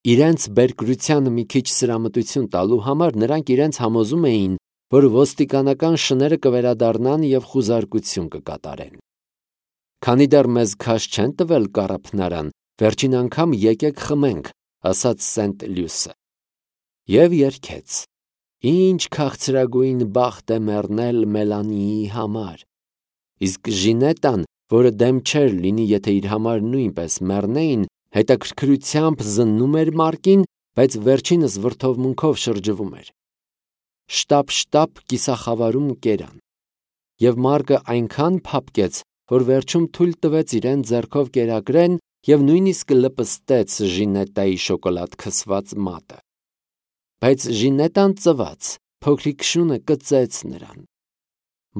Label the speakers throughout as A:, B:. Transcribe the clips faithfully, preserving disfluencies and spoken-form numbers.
A: Իրենց բերկրությանը մի քիչ սրամտություն տալու համար նրանք իրենց համոզում էին, որ ոստիկանական շները կվերադառնան և խուզարկություն կկատարեն։ Քանի դեռ մեզ քաշ չեն տվել կառափնարան, վերջին անգամ եկեք խմենք, ասաց Սենտ Լյուսը։ Եվ երգեց. Ինչ քաղցրագույն բախտ է մեռնել Մելանիի համար։ Իսկ Ժինետան, որը դեմ չէր լինի, եթե իր համար նույնպես մեռնեին, հետաքրքրությամբ զննում էր Մարկին, բայց վերջինս վրդովմունքով շրջվում էր։ Շտապ-շտապ կիսախավարում կերան։ Եվ Մարկը այնքան փափկեց, որ վերջում թույլ տվեց իրեն ձեռքով կերակրեն և նույնիսկ լպստեց Ժինետայի շոկոլադ քսված մատը։ Բայց Ժինետան ծվաց, փոքրիկ շունը կծեց նրան։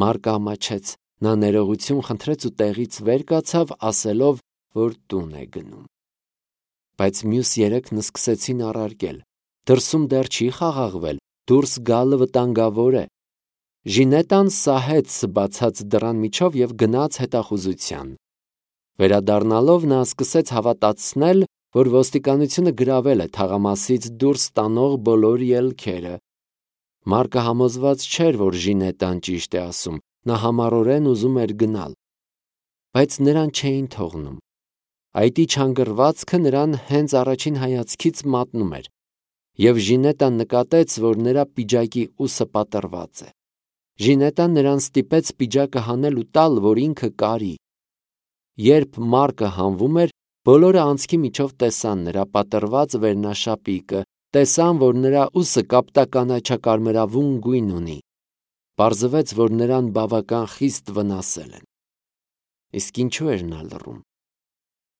A: Մարկը ամաչեց, նա ներողություն խնդրեց ու տեղից վեր կացավ, ասելով, որ տուն է գնում։ Բայց մյուս երեքն սկսեցին առարկել. դրսում դեռ չի խաղաղվել, դուրս գալը վտանգավոր է։ Ժինետան սահեց բացած դռան միջով և գնաց հետախուզության։ Վերադառնալով նա սկսեց հավատացնել, որ ոստիկանությունը գրավել է թաղամասից դուրս տանող բոլոր ելքերը։ Մարկը համոզված չէր, որ Ժինետան ճիշտ է ասում, նա համառորեն ուզում էր գնալ։ Բայց նրան չէին թողնում։ Այտի չանգռվածքը նրան հենց առաջին հայացքից մատնում էր, և Ժինետան նկատեց, որ նրա պիջակի ուսը պատռված է։ Ժինետան նրան ստիպեց պիջակը հանել ու տալ, որ ինքը կարի։ Երբ Մարկը հանվում էր, բոլորը անցքի միջով տեսան նրա պատռված վերնաշապիկը, տեսան, որ նրա ուսը կապտականաչակարմրավուն գույն ունի։ Պարզվեց, որ նրան բավական խիստ վնասել են։ Իսկ ինչու էր նա լռում։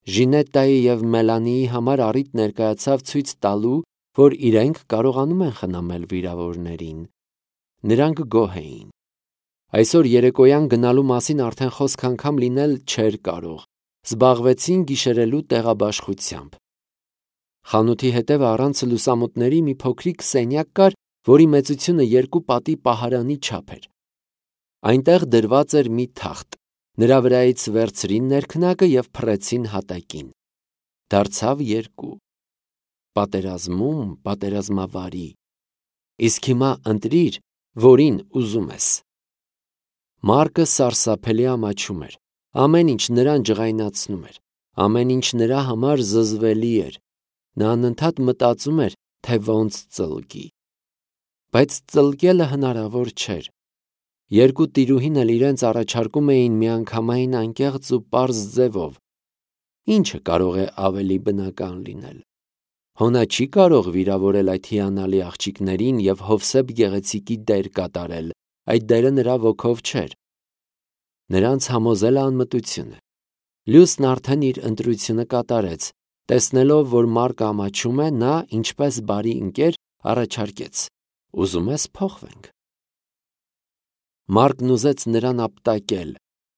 A: Ժինետայի և Մելանիի համար առիթ ներկայացավ ցույց տալու, որ իրենք կարողանում են խնամել վիրավորներին։ Նրանք գոհ էին։ Այսօր երեկոյան գնալու մասին արդեն խոսք անգամ լինել չէր կարող, զբաղվեցին գիշերելու տեղաբաշխությամբ։ Խանութի հետևը առանց լուսամուտների մի փոքրիկ սենյակ կար, որի մեծությունը երկու պատի պահարանի չափ էր։ Այնտեղ դրված էր մի թախտ, նրա վրայից վերցրին ներքնակը և փռեցին հատակին։ Դարձավ երկու։ Պատերազմում պատերազմավարի։ Իսկ հիմա ընտրիր, որին ուզում ես։ Մարկը սարսափելի ամաչում էր։ Ամեն ինչ նրան ջղայնացնում էր։ Ամեն ինչ նրա համար զզվելի էր։ Նա անընդհատ մտածում էր, թե ոնց ծլկի։ Բայց ծլկելը հնարավոր չէր։ Երկու տիրուհին էլ իրենց առաջարկում էին միանգամայն անկեղծ ու պարզ ձևով։ Ինչը կարող է ավելի բնական լինել։ Հոնա չի կարող վիրավորել այդ հիանալի աղջիկներին և Հովսեփ գեղեցիկի դեր կատարել, այդ դերը նրա ոգով չէր։ Նրանց համոզել է անմտությունը։ Լյուսն արդեն իր ընտրությունը կատարեց։ Տեսնելով, որ Մարկը ամաչում է, նա, ինչպես բարի ընկեր, առաջարկեց. ուզում ես փոխվենք։ Մարկն ուզեց նրան ապտակել։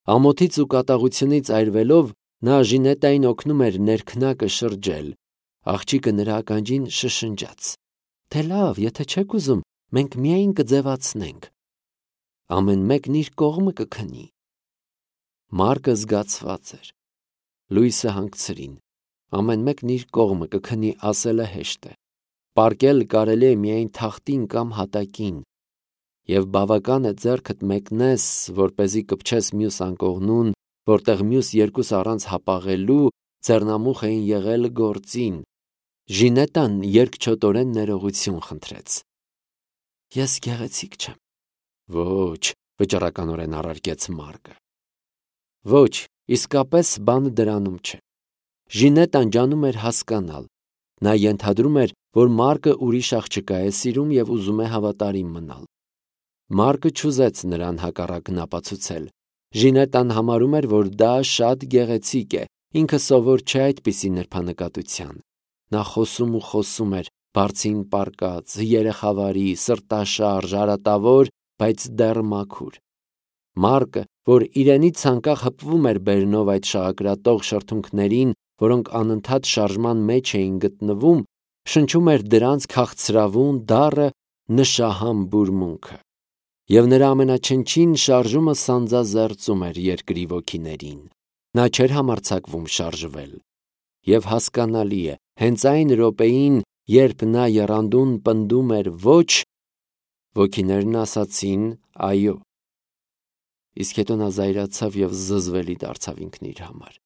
A: Ամոթից ու կատաղությունից այրվելով, նա Ժինետային օգնում էր ներքնակը շրջել։ Աղջիկը նրա ականջին շշնջաց. Թե լավ, եթե չեք ուզում, մենք միայն կձևացնենք։ Ամեն մեկն իր կողմը կքնի։ Մարկը զգացված էր։ Լույսը հանգցրին։ Ամեն մեկն իր կողմը կքնի ասելը հեշտ է։ Պառկել կարելի է միայն թախտին կամ հատակին։ Եվ բավական է ձեռքդ մեկնես, որպեսզի կպչես մյուս անկողնուն, որտեղ մյուս երկուսը առանց հապաղելու ձեռնամուխ էին եղել գործին։ Ժինետան երկչոտորեն ներողություն խնդրեց։ Ես գեղեցիկ չեմ։ Ոչ, վճռականորեն առարկեց Մարկը։ Ոչ, իսկապես բանը դրանում չէ։ Ժինետան ջանում էր հասկանալ։ Նա ենթադրում էր, որ Մարկը ուրիշ աղջկա է սիրում և ուզում է հավատարիմ մնալ։ Մարկը չուզեց նրան հակառակն ապացուցել։ Ժինետան համարում էր, որ դա շատ գեղեցիկ է, ինքը սովոր չէ այդպիսի նրբանկատության։ Նա խոսում ու խոսում էր, բարձին պառկած, երեխավարի, սրտաշարժ, արատավոր, բայց դեռ մաքուր։ Մարկը, որ իրենից անկախ հպվում էր բերնով այդ շաղակրատող շրթունքներին, որոնք անընդհատ շարժման մեջ էին գտնվում, շնչում էր դրանց քաղցրավուն, դառը, նշահամ բուրմունքը։ Եվ նրա ամենաչնչին շարժումը սանձազերծում էր երկրի ոգիներին։ Նա չէր համարձակվում շարժվել։ Եվ հասկանալի է, Հենց այն րոպեին, երբ նա եռանդուն պնդում էր ոչ, ոգիներն ասացին այո։ Իսկ հետո նա զայրացավ և զզվելի դարձավ ինքն իր համար։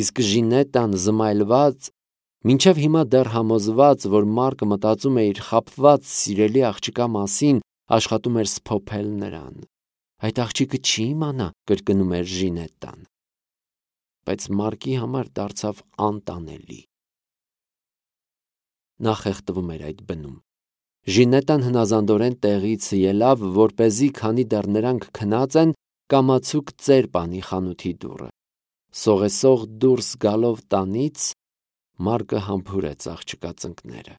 A: Իսկ Ժինետան զմայլված, մինչև հիմա դեռ համոզված, որ Մարկը մտածում է իր խաբված սիրելի աղջկա մասին, աշխատում էր սփոփել նրան։ Այդ աղջիկը չի իմանա, կրկնում էր Ժինետան։ Բայց Մարկի համար դարձավ անտանելի։ Նա խեղդվում էր այդ բնում։ Ժինետան հնազանդորեն տեղից ելավ, որպեսզի, քանի դեռ նրանք քնած են, կամացուկ ծեր պանի խանութի դուռը։ Սողեսող դուրս գալով տանից, Մարկը համբուրեց աղջկա ծնկները։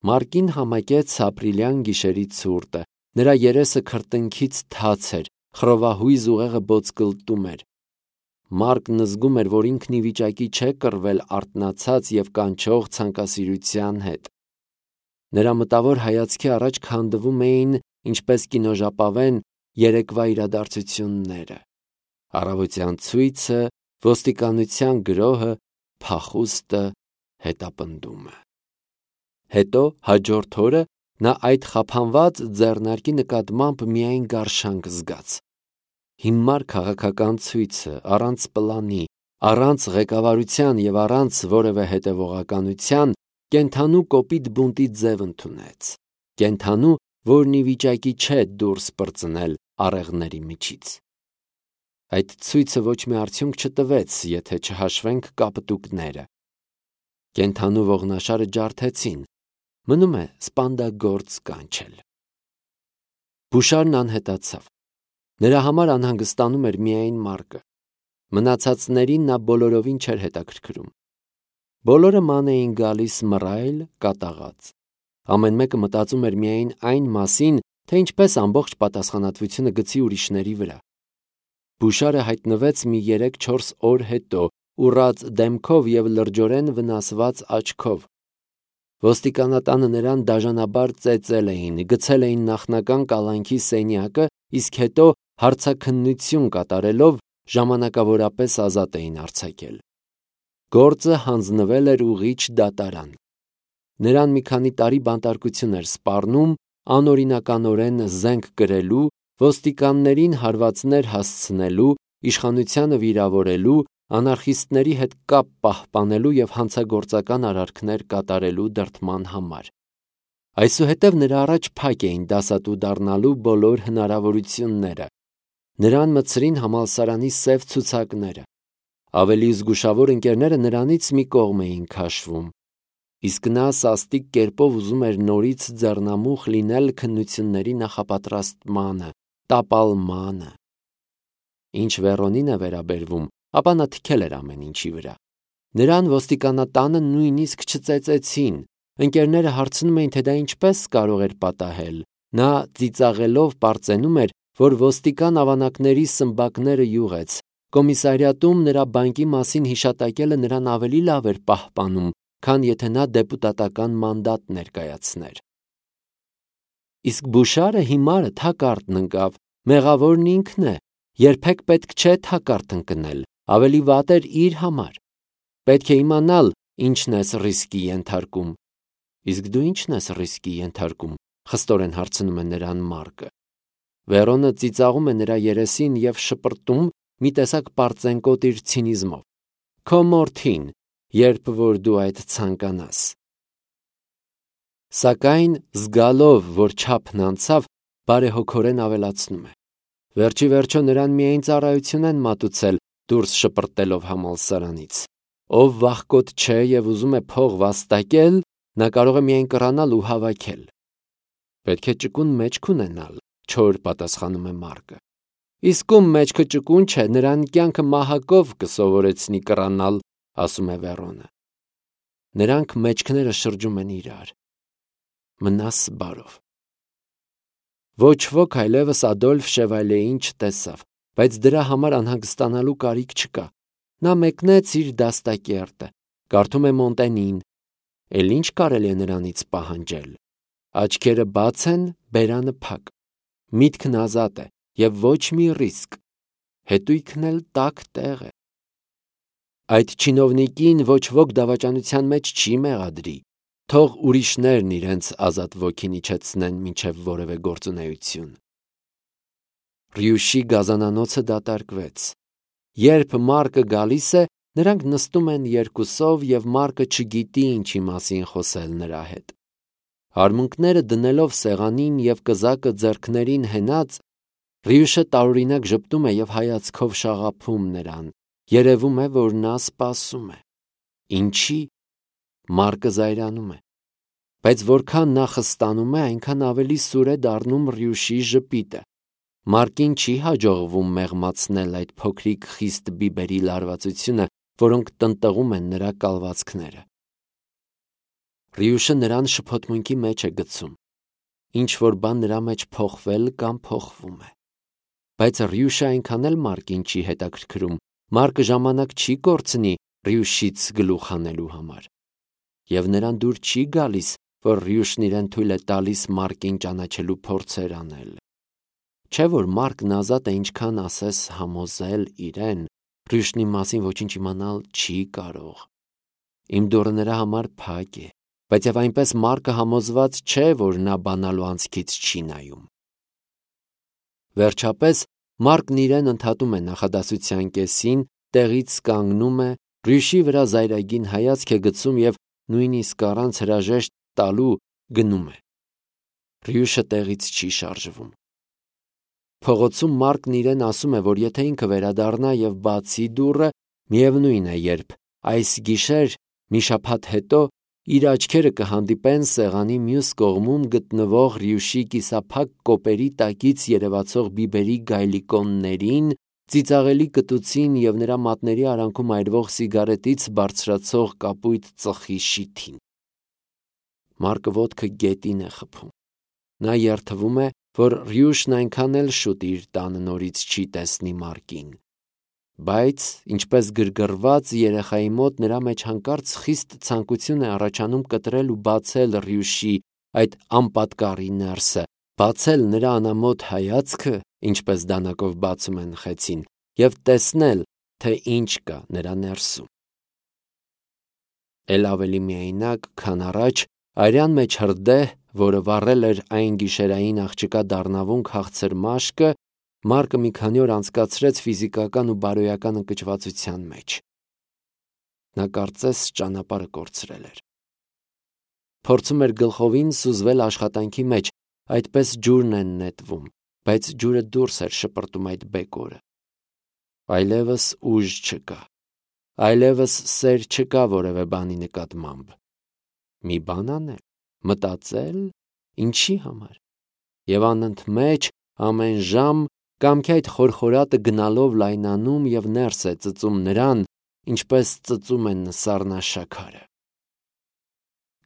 A: Մարկին համակեց ապրիլյան գիշերի ցուրտը, նրա երեսը քրտինքից թաց էր, խռովահույզ ուղեղը բոցկլտում էր։ Մարկն զգում էր, որ ինքն ի վիճակի չէ կռվել արթնացած և կանչող ցանկասիրության հետ։ Նրա մտավոր հայացքի առաջ քանդվում էին, ինչպես կինոժապավեն, երեկվա իրադարձությունները։ Առավոտյան ցույցը, ոստիկանության գրոհը, փախուստը, հետապնդումը։ Հետո հաջորդ օրը նա այդ խափանված ձեռնարկի նկատմամբ միայն գարշանք զգաց։ Հիմար քաղաքական ցույցը, առանց պլանի, առանց ղեկավարության և առանց որևէ հետևողականության, կենդանու կոպիտ բունտի ձև ընդունեց։ Կենդանու, որն ի վիճակի չէ դուրս պրծնել առեղների միջից։ Այդ ցույցը ոչ մի արդյունք չտվեց, եթե չհաշվենք կապտուկները։ Կենդանու ողնաշարը ջարդեցին, մնում է սպանդագործ կանչել։ Բուշարն անհետացավ։ Նրա համար անհանգստանում էր միայն Մարկը։ Մնացածներին նա բոլորովին չէր հետաքրքրում։ Բոլորը ման էին գալիս մռայլ, կատաղած։ Ամեն մեկը մտածում էր միայն այն մասին, թե ինչպես ամբողջ պատասխանատվությունը գցի ուրիշների վրա։ Բուշարը հայտնվեց մի երեք-չորս օր հետո, ուռած դեմքով և լրջորեն վնասված աչքով։ Ոստիկանատանը նրան դաժանաբար ծեծել էին, գցել էին նախնական կալանքի սենյակը, իսկ հետո հարցաքննություն կատարելով ժամանակավորապես ազատ էին արձակել։ Գործը հանձնվել էր ուղիչ դատարան։ Նրան մի քանի տարի բանտարկություն էր սպառնում, անօրինականորեն զենք կրելու, ոստիկաններին հարվածներ հասցնելու, իշխանությանը վիրավորելու, անարխիստների հետ կապ պահպանելու և հանցագործական արարքներ կատարելու դրդման համար։ Այսուհետև նրա առաջ փակ էին դասատու դառնալու բոլոր հնարավորությունները։ Նրան մտցրին համալսարանի սև ցուցակները։ Ավելի զգուշավոր ընկերները նրանից մի կողմ էին քաշվում։ Իսկ նա սաստիկ կերպով ուզում էր նորից ձեռնամուխ լինել քննությունների նախապատրաստմանը, տապալմանը։ Ինչ Վերոնին է վերաբերվում, ապա նա թքել էր ամեն ինչի վրա։ Նրան ոստիկանատանը նույնիսկ չծեծեցին։ Ընկերները հարցնում էին, թե դա ինչպես կարող էր պատահել։ Նա ծիծաղելով պարծենում էր, որ ոստիկան ավանակների սմբակները յուղեց։ Կոմիսարիատում նրա բանկի մասին հիշատակելը նրան ավելի լավ էր պահպանում, քան եթե նա դեպուտատական մանդատ ներկայացներ։ Իսկ Բուշարը հիմարը թակարդն ընկավ, մեղավորն ինքն է, երբեք պետք չէ թակարդ ընկնել, ավելի վատ էր իր համար։ Պետք է իմանալ, ինչն ես ռիսկի ենթարկում։ Իսկ դու ինչն ես ռիսկի ենթարկում, խստորեն հարցնում է նրան Մարկը։ Վերոնը ծիծաղում է նրա երեսին և շպրտում մի տեսակ պարծենկոտ իր ցինիզմով։ Քո մորթին, երբ որ դու այդ ցանկանաս։ Սակայն զգալով, որ չափն անցավ, բարեհոգորեն ավելացնում է. Վերջի վերջո նրան միայն ծառայություն են մատուցել, դուրս շպրտելով համալսարանից։ Ով վախկոտ չէ և ուզում է փող վաստակել, նա կարող է միայն կռանալ ու հավաքել։ Պետք է ճկուն մեջք ունենալ, չոր պատասխանում է Մարկը։ Իսկ ում մեջքը ճկուն չէ, նրան կյանքը մահակով կսովորեցնի կռանալ, ասում է Վերոնը։ Նրանք մեջքները շրջում են իրար։ Մնաս բարով։ Ոչ ոք այլևս Ադոլֆ Շևալեին չտեսավ, բայց դրա համար անհանգստանալու կարիք չկա։ Նա մեկնեց իր դաստակերտը, կարդում է Մոնտենին։ Էլ ինչ կարելի է նրանից պահանջել։ Աչքերը բաց են, բերանը փակ։ Միտքն ազատ է և ոչ մի ռիսկ։ Հետույքն էլ տաք տեղ է։ Այդ չինովնիկին ոչ ոք դավաճանության մեջ չի մեղադրի, թող ուրիշներն իրենց ազատ ոգին իջեցնեն մինչև որևէ գործունեություն։ Ռյուշի գազանանոցը դատարկվեց։ Երբ Մարկը գալիս է, նրանք նստում են երկուսով և Մարկը չգիտի ինչի մասին խոսել նրա հետ։ Արմունկները դնելով սեղանին և կզակը ձեռքներին հենած, Ռյուշը տարօրինակ ժպտում է և հայացքով շաղափում նրան, երևում է, որ նա սպասում է։ Ինչի՞։ Մարկը զայրանում է։ Բայց որքան նա խստանում է, այնքան ավելի սուր է դառնում Ռյուշի ժպիտը։ Մարկին չի հաջողվում մեղմացնել այդ փոքրիկ խիստ բիբերի լարվածությունը, որոնք տնտղում են նրա կալվածքները։ Ռյուշը նրան շփոթմունքի մեջ է գցում։ Ինչ-որ բան նրա մեջ փոխվել կամ փոխվում է։ Բայց Ռյուշը այնքան էլ Մարկին չի հետաքրքրում, Մարկը ժամանակ չի կորցնի Ռյուշից գլուխ հանելու համար։ Եվ նրան դուր չի գալիս, որ Ռյուշն իրեն թույլ է տալիս Մարկին ճանաչելու փորձեր անել։ Չէ՞ որ Մարկն ազատ է ինչքան ասես համոզել իրեն, Ռյուշն իմ մասին ոչինչ իմանալ չի կարող։ Իմ դուռը նրա համար փակ է, բայց և այնպես Մարկը համոզված չէ, որ նա բանալու անցքից չի նայում։ Վերջապես Մարկն իրեն ընդհատում է նախադասության կեսին, տեղից կանգնում է, Ռյուշի վրա զայրագին հայացք է գցում և նույնիսկ առանց հրաժեշտ տալու գնում է։ Ռյուշը տեղից չի շարժվում։ Փողոցում Մարկն իրեն ասում է, որ եթե ինքը վերադառնա և բացի դուռը, միևնույն է երբ, այս գիշեր, մի շաբաթ հետո, իր աչքերը կհանդիպեն սեղանի մյուս կողմում գտնվող Ռյուշի կիսափակ կոպերի տակից երևացող բիբերի գայլիկոններին, ծիծաղելի կտուցին և նրա մատների արանքում այրվող սիգարետից բարձրացող կապույտ ծխի շիթին։ Մարկը ոտքը գետին է խփում։ Նա երդվում է, որ Ռյուշն այնքան էլ շուտ իր տանը նորից չի տեսնի Մարկին։ Բայց, ինչպես գրգռված երեխայի մոտ, նրա մեջ հանկարծ խիստ ցանկություն է առաջանում կտրել ու բացել Ռյուշի այդ անպատկառի ներսը, բացել նրա անամոթ հայացքը, ինչպես դանակով բացում են խեցին, և տեսնել, թե ինչ կա նրա ներսում։ Էլ ավելի միայնակ, քան առաջ, արյան մեջ հրդեհ, որը վառել էր այն գիշերային աղջկա դառնավուն քաղցր մաշկը, Մարկը մի քանի օր անցկացրեց ֆիզիկական ու բարոյական ընկճվածության մեջ։ Նա կարծես ճանապարհը կորցրել էր։ Փորձում էր գլխովին սուզվել աշխատանքի մեջ, այդպես ջուրն են նետվում, բայց ջուրը դուրս էր շպրտում այդ բեկորը։ Այլևս ուժ չկա, այլևս սեր չկա որևէ բանի նկատմամբ։ Մի բան անել, մտածել, ինչի համար։ Եվ անընդմեջ, ամեն ժամ, կամքի այդ խորխորատը գնալով լայնանում և ներս է ծծում նրան, ինչպես ծծում են սառնաշաքարը։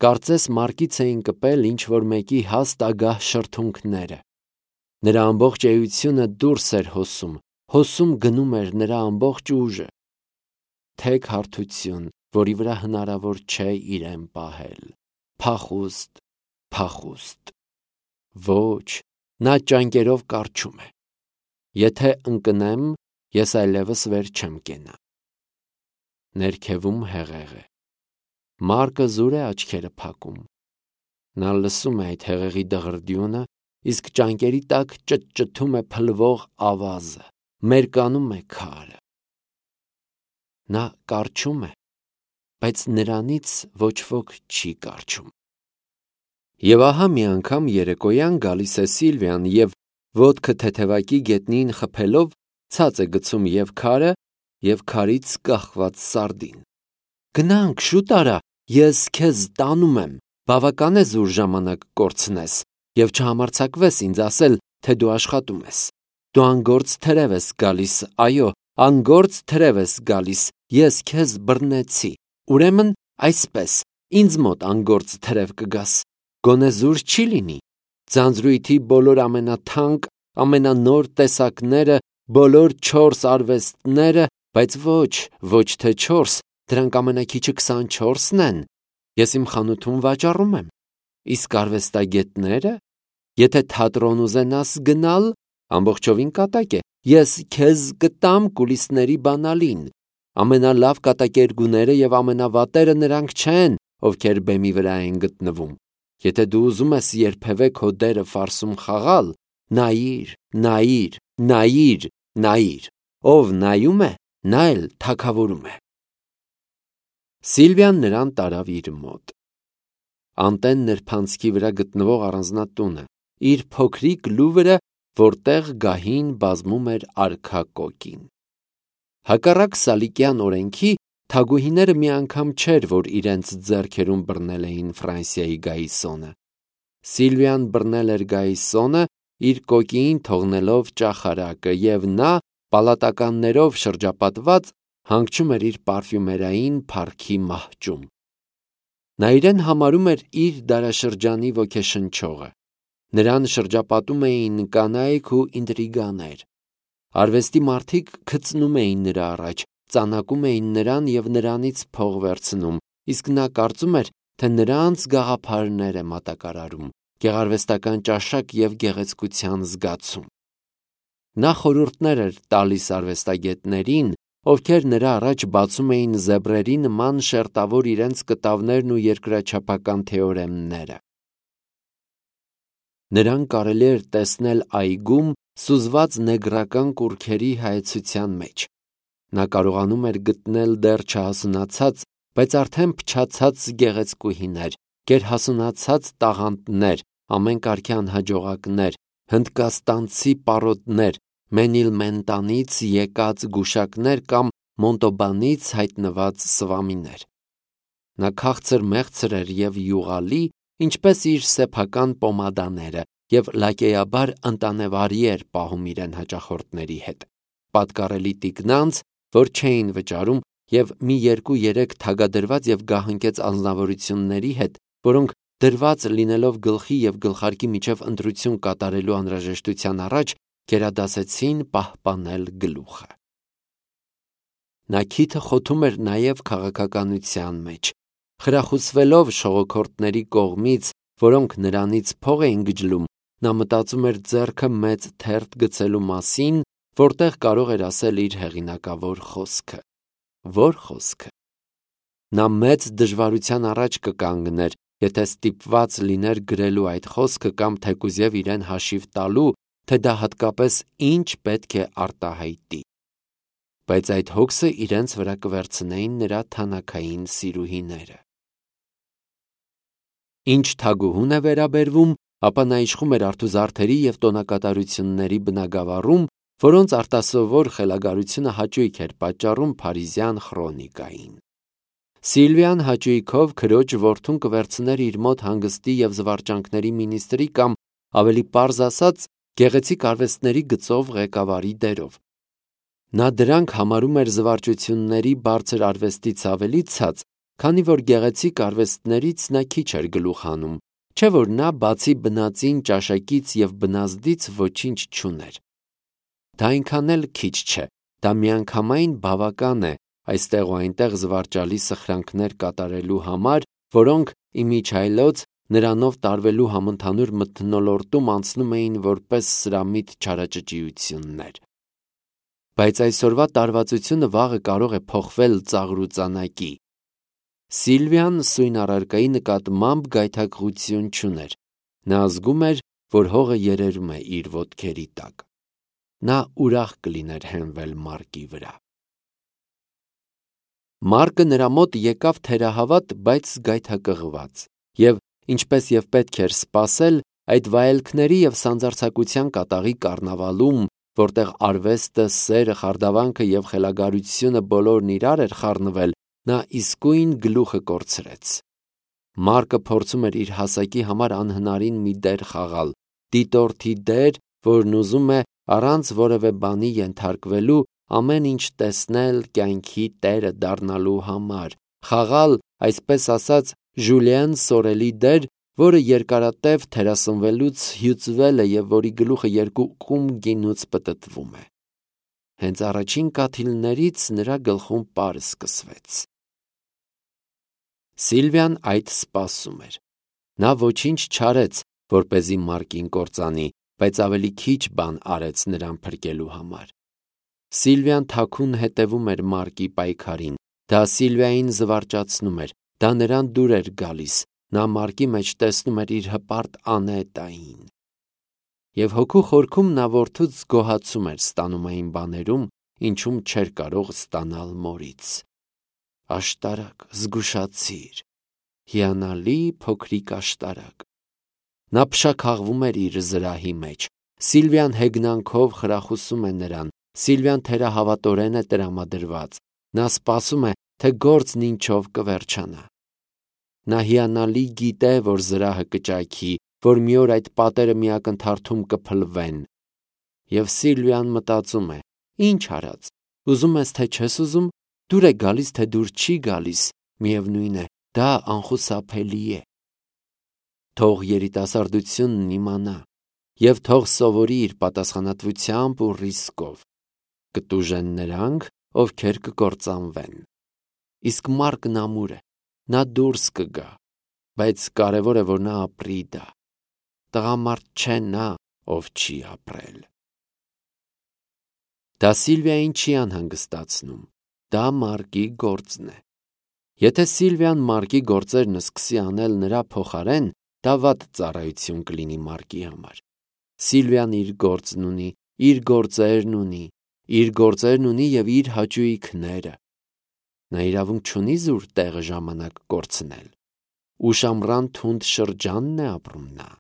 A: Կարծես Մարկից էին կպել ինչ-որ մեկի հաստ ագահ շրթունքները։ Նրա ամբողջ էությունը դուրս էր հոսում, հոսում գնում էր նրա ամբողջ ուժը։ Թեք հարթություն, որի վրա հնարավոր չէ իրեն պահել։ Փախուստ, փախուստ։ Ոչ, նա ճանկերով կառչում է։ Եթե ընկնեմ, ես այլևս վեր չեմ կենա։ Ներքևում հեղեղ է։ Մարկը զուր է աչքերը փակում։ Նա լսում է այդ հեղեղի դղրդյունը, իսկ ճանկերի տակ ճտճթում է փլվող ավազը, մերկանում է քարը։ Նա կառչում է, բայց նրանից ոչ ոք չի կառչում։ Եվ ահա մի անգամ երեկոյան գալիս է Սիլվիան և ոտքը թեթևակի գետնին խփելով ցած է գցում և քարը, և քարից կախված սարդին։ Գնանք, շուտ արա, ես քեզ տանում եմ, բավական է զուր ժամանակ կորցնես, և չհամարձակվես ինձ ասել, թե դու աշխատում ես։ Դու անգործ թրև ես գալիս, այո, անգործ թրև ես գալիս, ես քեզ բռնեցի։ Ուրեմն այսպես, ինձ մոտ անգործ թրև կգաս, գոնե զուր չի լինի։ Ձանձրույթի բոլոր ամենաթանկ, ամենանոր տեսակները, բոլոր չորս արվեստները, բայց ոչ, ոչ թե չորս, դրանք ամենաքիչը քսանչորսն են, ես իմ խանութում վաճառում եմ։ Իսկ արվեստագետները, եթե թատրոն ուզենաս գնալ, ամբողջովին կատակ է, ես քեզ կտամ կուլիսների բանալին, Ամենալավ կատակերգուները եւ ամենավատերը նրանք չեն, ովքեր բեմի վրա են գտնվում։ Եթե դու ուզում ես երբևէ քո դերը ֆարսում խաղալ, նայիր, նայիր, նայիր, նայիր։ Ով նայում է, նա էլ թագավորում է։ Սիլվիան նրան տարավ իր մոտ։ Անտեն նրբանցքի վրա գտնվող առանձնատունը, իր փոքրիկ լուվրը, որտեղ գահին բազմում էր արքա կոկին։ Հակառակ սալիկյան օրենքի, թագուհիները մի անգամ չէր, որ իրենց ձեռքերում բռնել էին Ֆրանսիայի գայիսոնը։ Սիլվիան բռնել էր գայիսոնը, իր կոկիին թողնելով ճախարակը, եւ նա, պալատականներով շրջապատված, հանգչում էր իր պարֆյումերային փառքի մահճում։ Նա իրեն համարում էր իր դարաշրջանի ոգեշնչողը։ Նրան շրջապատում էին կանայք ու ինտրիգաներ։ Արվեստի մարդիկ գծնում էին նրա առաջ, ծանակում էին նրան եւ նրանից փող վերցնում, իսկ նա կարծում էր, թե նրանց գաղափարներ է մատակարարում, գեղարվեստական ճաշակ եւ գեղեցկության զգացում։ Նա խորհուրդներ էր տալիս արվեստագետներին, ովքեր նրա առաջ բացում էին զեբրերի նման շերտավոր իրենց կտավներն ու երկրաչափական թեորեմները։ Նրան կարելի էր տեսնել այգում սուզված նեգրական կուռքերի հայեցության մեջ։ Նա կարողանում էր գտնել դեռ չհասունացած, բայց արդեն փչացած գեղեցկուհիներ, գերհասունացած տաղանդներ, ամեն կարգի անհաջողակներ, հնդկաստանցի պարոտներ, Մենիլմենտանից եկած գուշակներ կամ Մոնտոբանից հայտնված սվամիներ։ Նա քաղցր մեղցր էր եւ յուղալի, ինչպես իր սեփական պոմադաները, եւ լակեյաբար ընտանեվարի էր պահում իրեն հաճախորդների հետ։ Պատկառելի տիկնանց, որ չէին վճարում, եւ մի երկու-երեք թագադրված եւ գահընկեց անձնավորությունների հետ, որոնք դրված լինելով գլխի եւ գլխարկի միջև ընտրություն կատարելու անհրաժեշտության առաջ, գերադասեցին պահպանել գլուխը։ Նա քիթը խոթում էր նաև քաղաքականության մեջ, խրախուսվելով շողոքորթների կողմից, որոնք նրանից փող էին գջլում, նա մտածում էր ձեռքը մեծ թերթ գցելու մասին, որտեղ կարող էր ասել իր հեղինակավոր խոսքը։ Ո՞ր խոսքը։ Նա մեծ դժվարության առաջ կկանգներ, եթե ստիպված լիներ գրելու այդ խոսքը կամ թեկուզև իրեն հաշիվ տալու, թե դա հատկապես ինչ պետք է արտահայտի։ Բայց այդ հոգսը իրենց վրա կվերցնեին նրա թանաքային սիրուհիները։ Ինչ թագուհուն է վերաբերվում, ապա նա իշխում էր արթուզարդերի եւ տոնակատարությունների բնագավառում, որոնց արտասովոր խելագարությունը հաճույք էր պատճառում փարիզյան խրոնիկային։ Սիլվիան հաճույքով քրոջ որդուն կվերցներ իր մոտ հանգստի եւ զվարճանքների մինիստրի կամ, ավելի պարզ ասած, գեղեցիկ արվեստների գծով ղեկավարի դերով։ Նա դրանք համարում էր զվարճությունների բարձր արվեստից ավելի ցած, քանի որ գեղեցիկ արվեստներից նա քիչ էր գլուխ հանում, չէ՞ որ նա բացի բնածին ճաշակից եւ բնազդից ոչինչ չուներ։ Դա այնքան էլ քիչ չէ, դա միանգամայն բավական է այստեղ ու այնտեղ զվարճալի սխրանքներ կատարելու համար, որոնք իմիջայլոց նրանով տարվելու համընդհանուր մթնոլորտում անցնում էին որպես սրամիտ չարաճճիություններ։ Բայց այսօրվա տարվածությունը վաղը կարող է փոխվել ծաղրուծանակի։ Սիլվիան սույն առարկայի նկատմամբ գայթակղություն չուներ։ Նա զգում էր, որ հողը երերում է իր ոտքերի տակ։ Նա ուրախ կլիներ հենվել Մարկի վրա։ Մարկը նրա մոտ եկավ թերահավատ, բայց գայթակղված, եւ ինչպես եւ պետք էր սպասել, այդ վայելքների եւ սանձարձակության կատաղի կառնավալում, որտեղ արվեստը, սերը, խարդավանքը եւ խելագարությունը բոլորն իրար էր խառնվել, նա իսկույն գլուխը կորցրեց։ Մարկը փորձում էր իր հասակի համար անհնարին մի դեր խաղալ, դիտորդի դեր, որն ուզում է առանց որևէ բանի ենթարկվելու ամեն ինչ տեսնել կյանքի տերը դառնալու համար, խաղալ, այսպես ասած, Ժուլիեն Սորելի դեր, որը երկարատև թերասնվելուց հյուծվել է եւ որի գլուխը երկու կում գինուց պտտվում է։ Հենց առաջին կաթիլներից նրա գլխում պարը սկսվեց։ Սիլվիան այդ սպասում էր։ Նա ոչինչ չարեց, որպեսզի Մարկին կործանի, բայց ավելի քիչ բան արեց նրան փրկելու համար։ Սիլվիան թաքուն հետևում էր Մարկի պայքարին, դա Սիլվիային զվարճացնում էր, դա նրան դուր էր գալիս, նա Մարկի մեջ տեսնում էր իր հպարտ Անետային։ Եվ հոգու խորքում նա որդուց գոհացում էր ստանում այն բաներում, ինչում չէր կարող ստանալ մորից։ Աշտարակ, զգուշացիր, հիանալի փոքրիկ աշտարակ։ Նա փշաքաղվում էր իր զրահի մեջ։ Սիլվիան հեգնանքով խրախուսում է նրան, Սիլվիան թերահավատորեն է տրամադրված, նա սպասում է, թե գործն ինչով կվերջանա։ Նա հիանալի գիտե, որ զրահը կճայքի, որ մի օր այդ պատերը մի ակնթարթում կփլվեն։ Եվ Սիլվիան մտածում է. ինչ արած, ուզում ես թե չես ուզում, դուր է գալիս, թե դուր չի գալիս, միևնույն է, դա անխուսափելի է։ Թող երիտասարդությունն իմանա, և թող սովորի իր պատասխանատվությամբ ու ռիսկով։ Կտուժեն նրանք, ովքեր կկործանվեն։ Իսկ Մարկն ամուր է, նա դուրս կգա, բայց կարևոր է, որ նա ապրի դա։ Տղամարդ չէ նա, ով չի ապրել։ Դա Սիլվիային չի անհանգստացնում, դա Մարկի գործն է։ Եթե Սիլվիան Մարկի գործերն սկսի անել նրա փոխարեն, դա վատ ծառայություն կլինի Մարկի համար։ Սիլվիան իր գործն ունի, իր գործերն ունի, իր գործերն ունի և իր հաճույքները։ Նա իրավունք չունի զուր տեղը ժամանակ կորցնել։ Ուշամռան թունդ շրջանն է ապրում նա։